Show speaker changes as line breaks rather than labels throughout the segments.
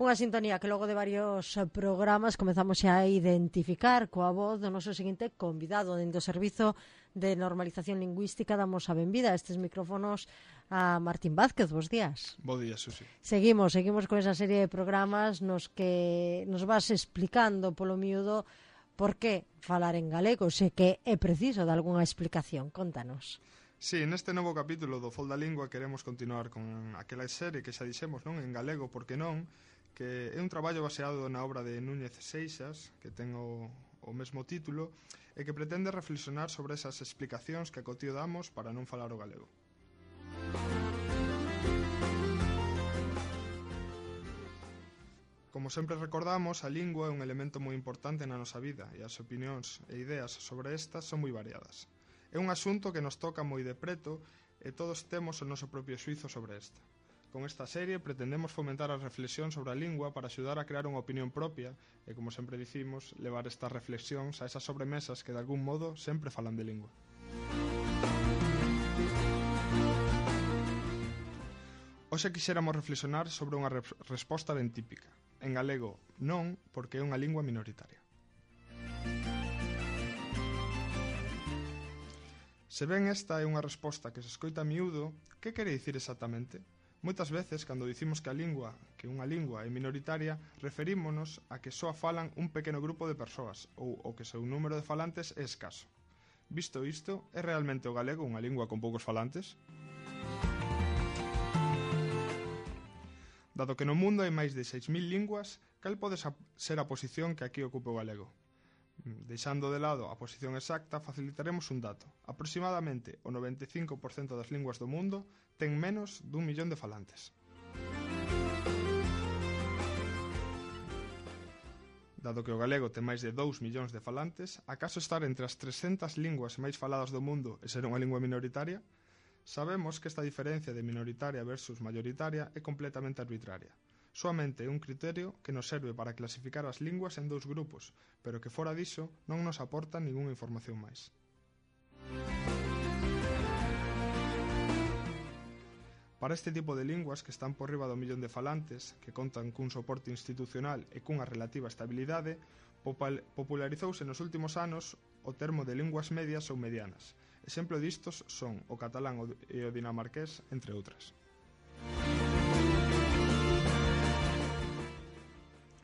Unha sintonía que logo de varios programas comezamos xa a identificar coa voz do noso seguinte convidado dentro do Servizo de Normalización Lingüística. Damos a benvida a estes micrófonos a Martín Vázquez. Bos días.
Bo día, Susi.
Seguimos con esa serie de programas nos que nos vas explicando polo miúdo por que falar en galego, se que é preciso de algunha explicación. Contanos.
Sí, neste novo capítulo do Fol da Lingua queremos continuar con aquela serie que xa dixemos, non? En galego, porque non, que é un traballo baseado na obra de Núñez Seixas, que ten o mesmo título, e que pretende reflexionar sobre esas explicacións que a cotío damos para non falar o galego. Como sempre recordamos, a lingua é un elemento moi importante na nosa vida e as opinións e ideas sobre estas son moi variadas. É un asunto que nos toca moi de preto e todos temos o noso propio xuizo sobre esta. Con esta serie pretendemos fomentar a reflexión sobre a lingua para axudar a crear unha opinión propia e, como sempre dicimos, levar estas reflexións a esas sobremesas que de algún modo sempre falan de lingua. Hoxe quixéramos reflexionar sobre unha resposta ben típica. En galego, non, porque é unha lingua minoritaria. Se ben esta é unha resposta que se escoita a miúdo, que quere dicir exactamente? Moitas veces, cando dicimos que unha lingua é minoritaria, referímonos a que só a falan un pequeno grupo de persoas ou que o seu número de falantes é escaso. Visto isto, é realmente o galego unha lingua con poucos falantes? Dado que no mundo hai máis de 6.000 linguas, cal pode ser a posición que aquí ocupa o galego? Deixando de lado a posición exacta, facilitaremos un dato. Aproximadamente o 95% das linguas do mundo ten menos dun millón de falantes. Dado que o galego ten máis de 2 millóns de falantes, acaso estar entre as 300 linguas máis faladas do mundo e ser unha lingua minoritaria? Sabemos que esta diferencia de minoritaria versus mayoritaria é completamente arbitraria. Soamente é un criterio que nos serve para clasificar as linguas en dous grupos, pero que fora diso non nos aporta ningunha información máis. Para este tipo de linguas que están por riba do millón de falantes, que contan cun soporte institucional e cunha relativa estabilidade, popularizouse nos últimos anos o termo de linguas medias ou medianas. Exemplo distos son o catalán e o dinamarqués, entre outras.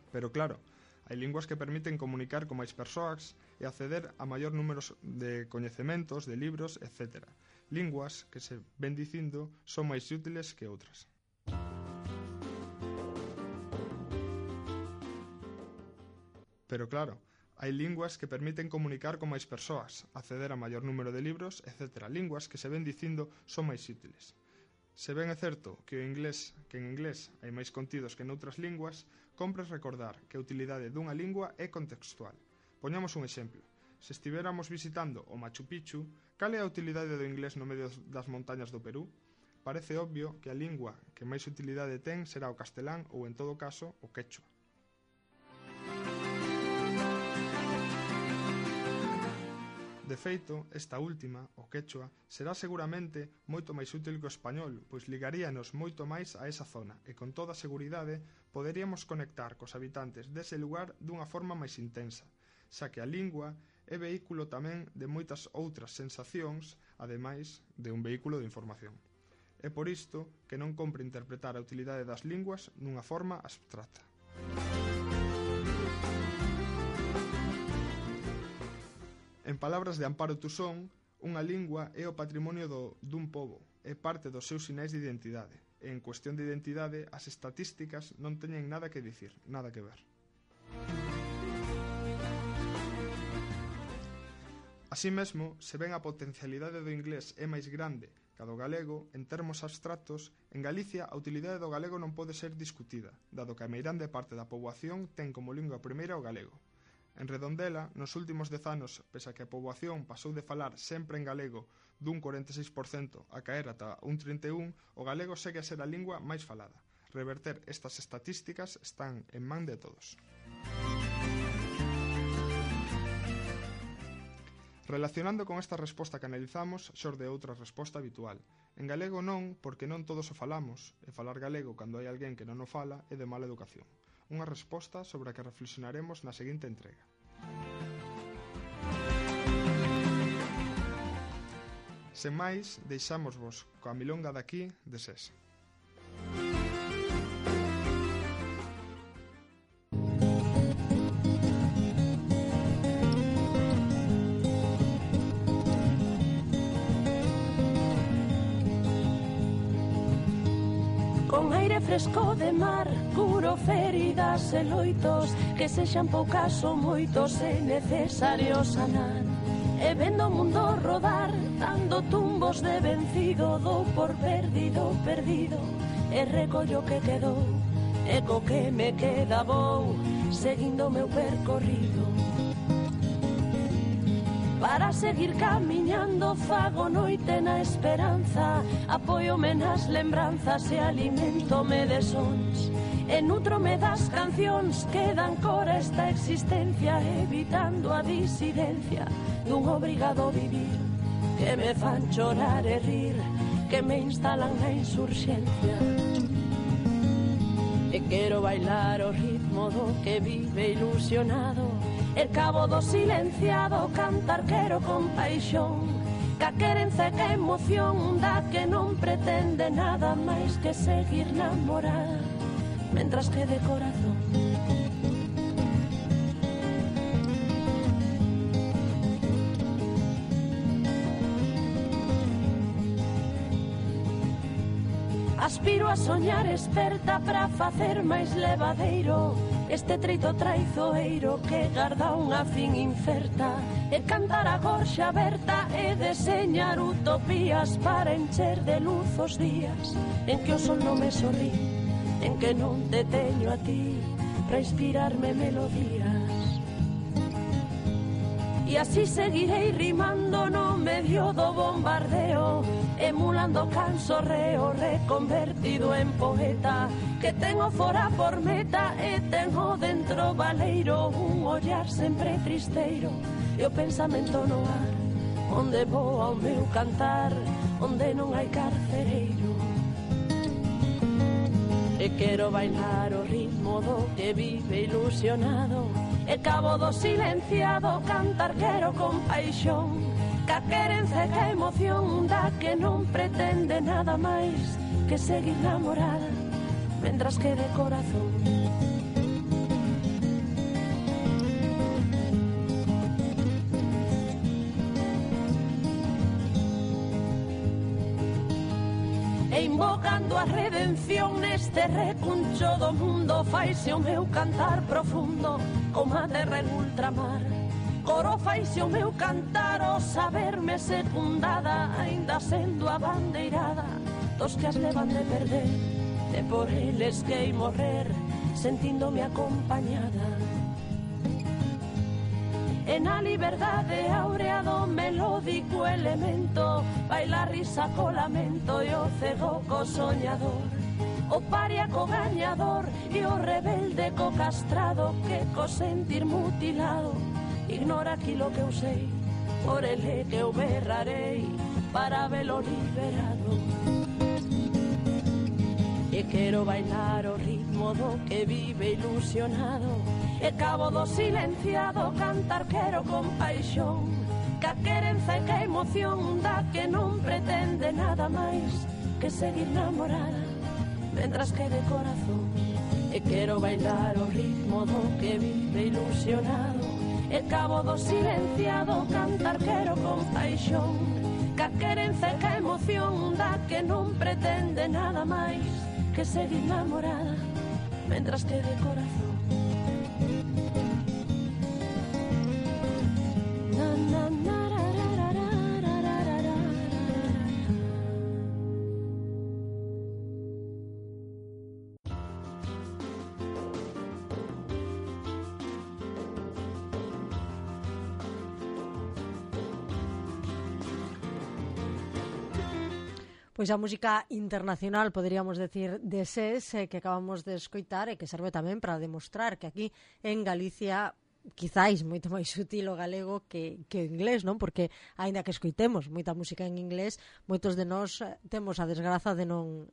Pero claro, hai linguas que permiten comunicar con máis persoas e acceder a maior número de coñecementos, de libros, etc. Linguas que, se ven dicindo, son máis útiles que outras. Pero claro, hai linguas que permiten comunicar con máis persoas, acceder a maior número de libros, etc. Linguas que, se ven dicindo, son máis útiles. Se ben é certo que en inglés hai máis contidos que noutras linguas, compre recordar que a utilidade dunha lingua é contextual. Poñamos un exemplo. Se estivéramos visitando o Machu Picchu, cal é a utilidade do inglés no medio das montañas do Perú? Parece obvio que a lingua que máis utilidade ten será o castelán ou, en todo caso, o quechua. De feito, esta última, o quechua, será seguramente moito máis útil que o español, pois ligaríanos moito máis a esa zona e con toda seguridade poderíamos conectar cos habitantes dese lugar dunha forma máis intensa, xa que a lingua é vehículo tamén de moitas outras sensacións, ademais de un vehículo de información. É por isto que non compre interpretar a utilidade das linguas nunha forma abstracta. En palabras de Amparo Tusón, unha lingua é o patrimonio dun pobo, é parte dos seus sinais de identidade, e en cuestión de identidade as estatísticas non teñen nada que dicir, nada que ver. Así mesmo, se ben a potencialidade do inglés é máis grande que a do galego, en termos abstractos, en Galicia a utilidade do galego non pode ser discutida, dado que a meirande parte da poboación ten como lingua primeira o galego. En Redondela, nos últimos 10 anos, pese a que a poboación pasou de falar sempre en galego dun 46% a caer ata un 31%, o galego segue a ser a lingua máis falada. Reverter estas estatísticas están en man de todos. Relacionando con esta resposta que analizamos, xorde outra resposta habitual. En galego non, porque non todos o falamos, e falar galego cando hai alguén que non o fala é de mala educación. unha resposta sobre a que reflexionaremos na seguinte entrega. Sen máis, deixámosvos coa milonga daqui de SES.
Con aire fresco de mar, curo feridas e loitos, que sexan poucas ou moitos é necesario sanar. E vendo o mundo rodar, dando tumbos de vencido, dou por perdido, perdido, e recollo que quedou, e co que me queda vou, seguindo o meu percorrido. Para seguir camiñando fago noite na esperanza, apóiome nas lembranzas e alimentome de sons, e nutrome das cancións que dan cor a esta existencia, evitando a disidencia dun obrigado vivir, que me fan chorar e rir, que me instalan na insurxencia. E quero bailar o ritmo do que vive ilusionado, el cabo do silenciado, cantar quero con paixón, ca querenza e que emoción da que non pretende nada máis que seguir namorada, mentras que de corazón. Aspiro a soñar esperta para facer máis levadeiro este treito traizoeiro que garda unha fin incerta, e cantar a gorxa aberta e deseñar utopías para encher de luz os días en que o sol non me sorrí, en que non te teño a ti para inspirarme melodías. E así seguirei rimando no medio do bombardeo, emulando cansorreo reconvertido en poeta, que tengo fora por meta e tengo dentro baleiro, un ollar sempre tristeiro e o pensamento no ar, onde voa o meu cantar, onde non hai carcereiro. E quero bailar o ritmo do que vive ilusionado, e cabo do silenciado, cantar quero con paixón, ca querenza e ca emoción da que non pretende nada máis que seguir namorada, mentras que de corazón. E invocando a redención neste recuncho do mundo, faise o meu cantar profundo como a terra en ultramar. Coro faise o meu cantar o saberme secundada, aínda sendo a bandeirada dos que as levan de perder, e por eles que morrer sentíndome acompañada. E na liberdade áurea do melódico elemento, baila risa co lamento e o cego co soñador, o paria co gañador e o rebelde co castrado, que co sentir mutilado ignora aquilo que eu sei, por ele que eu berrarei para velo liberado. E quero bailar o ritmo do que vive ilusionado, e cabo do silenciado, cantar quero con paixón, ca querenza e ca emoción da que non pretende nada máis que seguir namorada, mentras que de corazón. E quero bailar o ritmo do que vive ilusionado, e cabo do silenciado, cantar quero con paixón, ca querenza e ca emoción da que non pretende nada máis que seguir namorada, mentras que de corazón.
Pois a música internacional, poderíamos decir, de SES, que acabamos de escoitar e que serve tamén para demostrar que aquí en Galicia quizáis moito máis sutil o galego que o inglés, non? Porque aínda que escoitemos moita música en inglés, moitos de nós temos a desgraza de non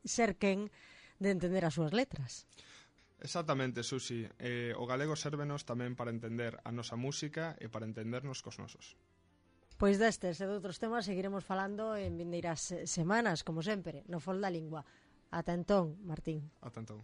ser quen de entender as súas letras.
Exactamente, Susi. O galego sérvenos tamén para entender a nosa música e para entendernos cos nosos.
Pois destes e de outros temas seguiremos falando en vindeiras semanas, como sempre, no Fol da Lingua. Ata entón, Martín.
Ata entón.